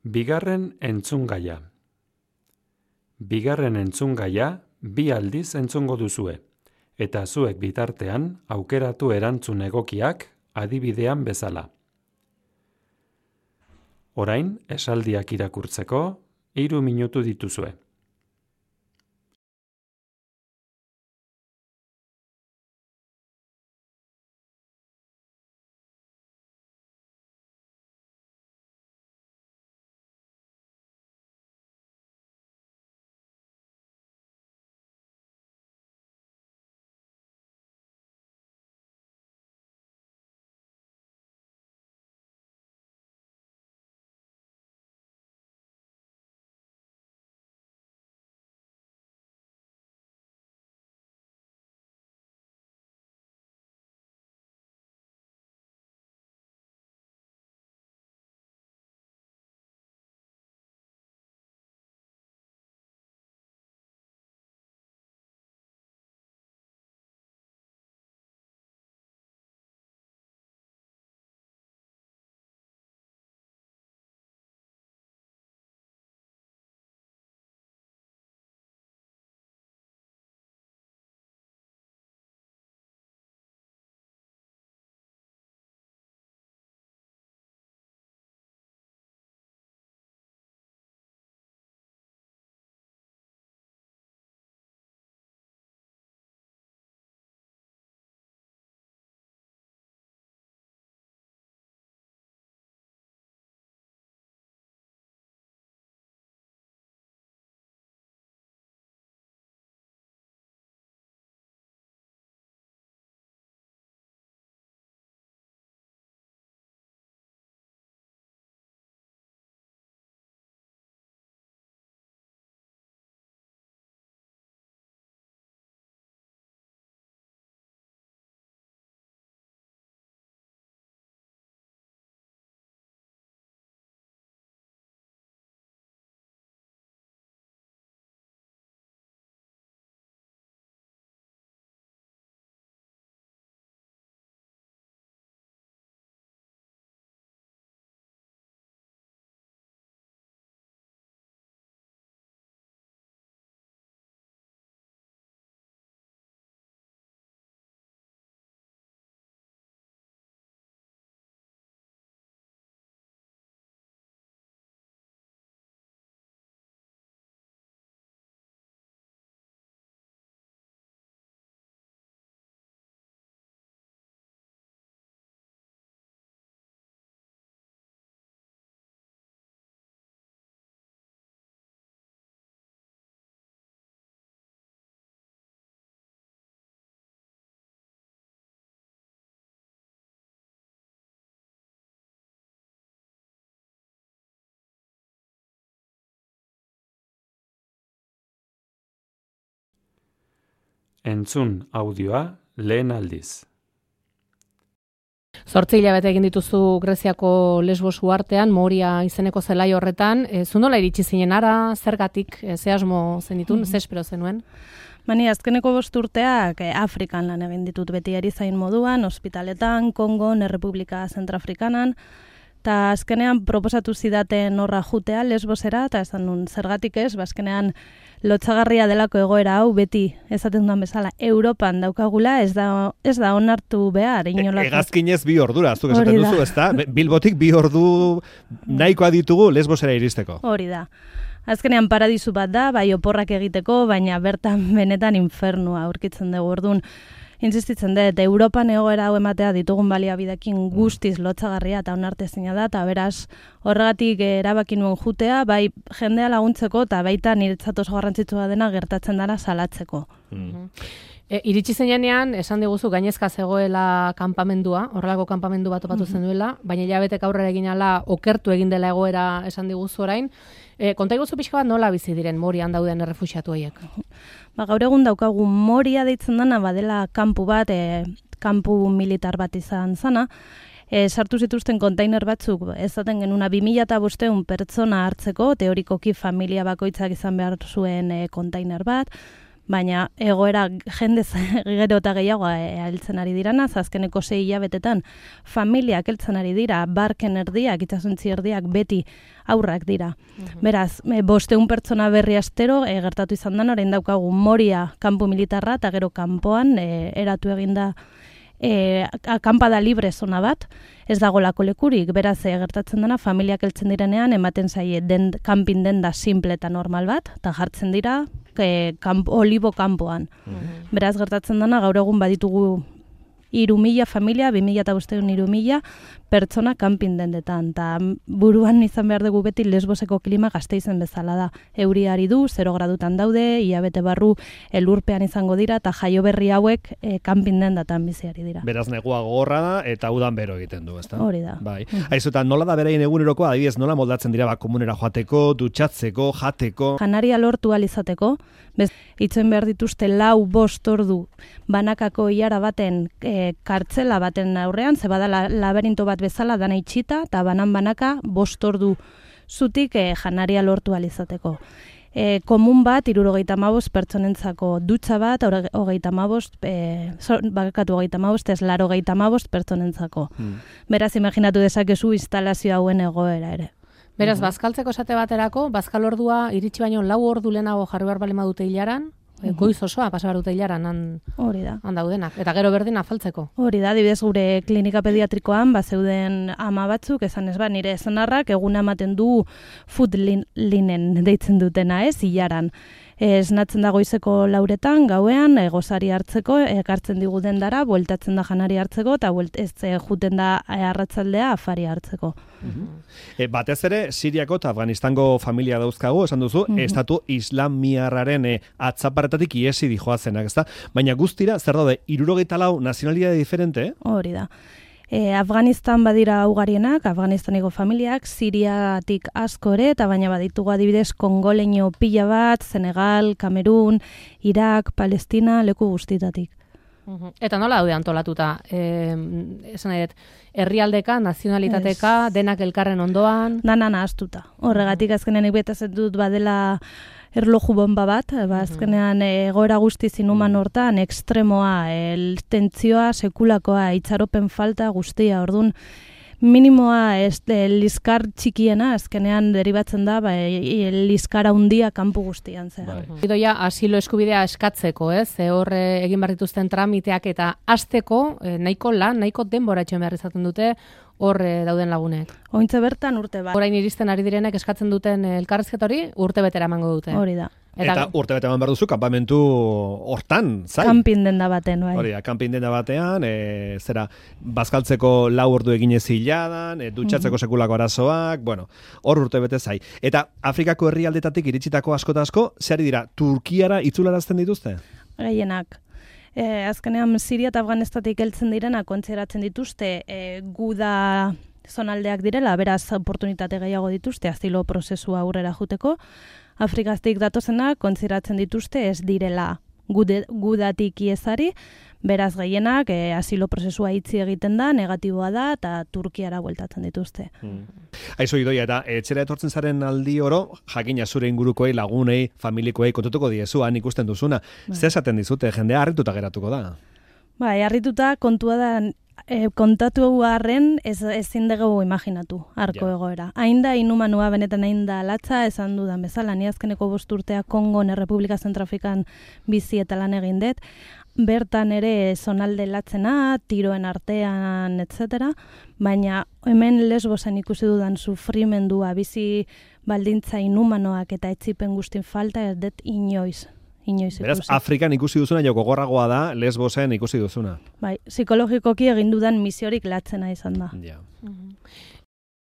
Bigarren entzungaia. Bigarren entzungaia 2 aldiz entzungo duzue, eta zuek bitartean aukeratu erantzun egokiak adibidean bezala. Orain, esaldiak irakurtzeko 3 minutu dituzue. Entzun audioa lehen aldiz. 8 hilabete egin dituzu Greziako Lesbos uhartean, Moria izeneko zelai horretan. Zu nola iritsi zinen ara, zergatik, ze asmo zenitun, ze espero zenuen? Bani, azkeneko 5 urteak Afrikan lan egin ditut beti erizain moduan, ospitaletan, Kongon, Errepublika Zentrafrikanan, eta azkenean proposatu zidaten horra jutea Lesbosera, eta esan nun zergatik ez, azkenean lotsagarria delako egoera hau beti esaten duan bezala Europan daukagula, ez da onartu behar inolako. Hegazkinez 2 ordura, zuk esaten duzu, ezta? Bilbotik 2 ordu nahikoa ditugu Lesbosera iristeko. Hori da. Azkenean paradisu bat da, bai oporrak egiteko, baina bertan benetan infernua aurkitzen dugu. Orduan, insistitzen dut, Europan egoera hau ematea ditugun baliabidekin guztiz lotsagarria eta onartezina da, eta beraz horregatik erabaki nuen jutea, bai jendea laguntzeko eta baita niretzat oso garrantzitsua dena gertatzen dara salatzeko. Iritsi zenean, esan diguzu gainezka zegoela kanpamendua, horrelako kanpamendu bat topatu zen duela, baina hilabetek aurrera egin ala okertu egin dela egoera esan diguzu orain. Konta iguzu pixka bat nola bizi diren Morian dauden errefuxiatu horiek? Gaur egun daukagu Moria deitzen dena, badela kanpu bat, kanpu militar bat izan zana, sartu zituzten kontainer batzuk, ezaten genuna 2500 pertsona hartzeko, teorikoki familia bakoitzak izan behar zuen kontainer bat, baina egoera jendez gero eta gehiago heltzen ari dirana, azkeneko 6 hilabetetan familiak heltzen ari dira, barken erdiak, itsasontzi erdiak beti aurrak dira. Beraz, 500 pertsona berri astero gertatu izan da, orain daukagu Moria kanpo militarra eta gero kanpoan eratu eginda akampada libre zona bat, ez dagolako lekurik, beraz gertatzen dena familiak heltzen direnean ematen zaie camping denda simple eta normal bat, eta jartzen dira olibo kanpoan. Beraz gertatzen dena gaur egun baditugu 3.000 familia, 2.500 pertsona camping dendetan, eta buruan izan behar dugu beti Lesboseko klima Gasteizen bezala da. Euriari du, 0 gradutan daude, hilabete barru elurpean izango dira, eta jaio berri hauek camping dendatan biziari dira. Beraz negua gogorra da, eta udan bero egiten du, ezta? Hori da. Bai. Aizuta, nola da beraien egunerokoa, adibidez, nola moldatzen dira komunera joateko, dutxatzeko, jateko? Janaria lortu alizateko, itzen behar dituzte 4-5 ordu banakako ilara baten kartzela baten aurrean, ze bada laberinto bat bezala dana itxita, eta banaka 5 ordu zutik janaria lortu alizateko. Komun bat, 75 pertsonentzako dutxa bat, 35, bakatu 35, ez 85 pertsonentzako. Beraz, imaginatu dezakezu instalazio hauen egoera ere. Beraz, bazkaltzeko esate baterako, bazkal ordua iritsi baino 4 ordu lehenago jarri behar balima dute hilaran, goiz osoa pasa behar dute hilaran han daudenak, eta gero berdin afaltzeko. Hori da, adibidez gure klinika pediatrikoan, zeuden ama batzuk, esan ez nire senarrak eguna ematen du food linen deitzen dutena, hilaran. Esnatzen da goizeko 4etan, gauean, gozari hartzeko, ekartzen digu dendara, bueltatzen da janari hartzeko, eta juten da arratzaldea afari hartzeko. Batez ere, Siriako eta Afganistango familia dauzkagu, esan duzu, estatu islamiarraren atzaparetatik iesi dijoazenak, ezta? Baina guztira, zer daude, 74 nazionalidade diferente? Hori da. Afganistan badira ugarienak, Afganistaniko familiak, Siriatik asko ere, eta baina baditugu adibidez kongoleño pila bat, Senegal, Kamerun, Irak, Palestina, leku guztitatik. Eta nola daude antolatuta? Esan nahi dut, herrialdeka, nazionalitateka, denak elkarren ondoan? Dana nahaztuta. Horregatik azkenean ikbetazet dut badela erloju bomba bat, azkenean egoera guzti zinuman hortan, ekstremoa, tentzioa, sekulakoa, itxaropen falta guztia, orduan, minimoa liskar txikiena, azkenean deribatzen da, liskara handia kanpo guztian zera. Idoia, asilo eskubidea eskatzeko, ez? Hor egin behar dituzten tramiteak eta hasteko nahiko lan, nahiko denbora etxen behar izaten dute, hor dauden lagunek. Ointze bertan urte bat. Orain iristen ari direnek eskatzen duten elkarrizketa hori urte betera emango dute. Hori da. Eta urte bete eman behar duzu, kanpamentu hortan, zai? Kampin denda baten, bai. Hori da, kampin denda batean, zera, bazkaltzeko 4 ordu eginez hiladan, dutxatzeko sekulako arazoak, bueno, hor urte bete zai. Eta Afrikako herrialdetatik iritsitako asko eta asko, zehari dira, Turkiara itzularazten dituzte? Gehienak. Azkenean Siria eta Afganistatik heltzen direna kontsideratzen dituzte guda zonaldeak direla, beraz oportunitate gehiago dituzte asilo prozesua aurrera juteko. Afrikaztik datozenak kontsideratzen dituzte ez direla gudatik iezari, beraz gehienak asilo prozesua itzi egiten da, negatiboa da, eta Turkiara bueltatzen dituzte. Aizu Idoia, eta etxera etortzen zaren aldi oro, jakina zure ingurukoei, lagunei, familikoei, kontutuko diezu, han ikusten duzuna. Zer esaten dizute, jendea harrituta geratuko da? Bai, harrituta kontua da, kontatu harren ezin dugu imaginatu, arko egoera. Hainda inumanua benetan hainda latza, esan dudan bezala, ni azkeneko 5 urtea Kongon Errepublika Zentrafrikan bizi eta lan egin dut, bertan ere zonalde latzena, tiroen artean, etc. Baina hemen Lesbosen ikusi dudan sufrimendua, bizi baldintza inumanoak eta etzipen guztin falta ez dut inoiz ikusi. Beraz, Afrikan ikusi duzuna joko gogorragoa da, Lesbosen ikusi duzuna. Bai, psikologikoki egin dudan misiorik latzena izan da. Ja.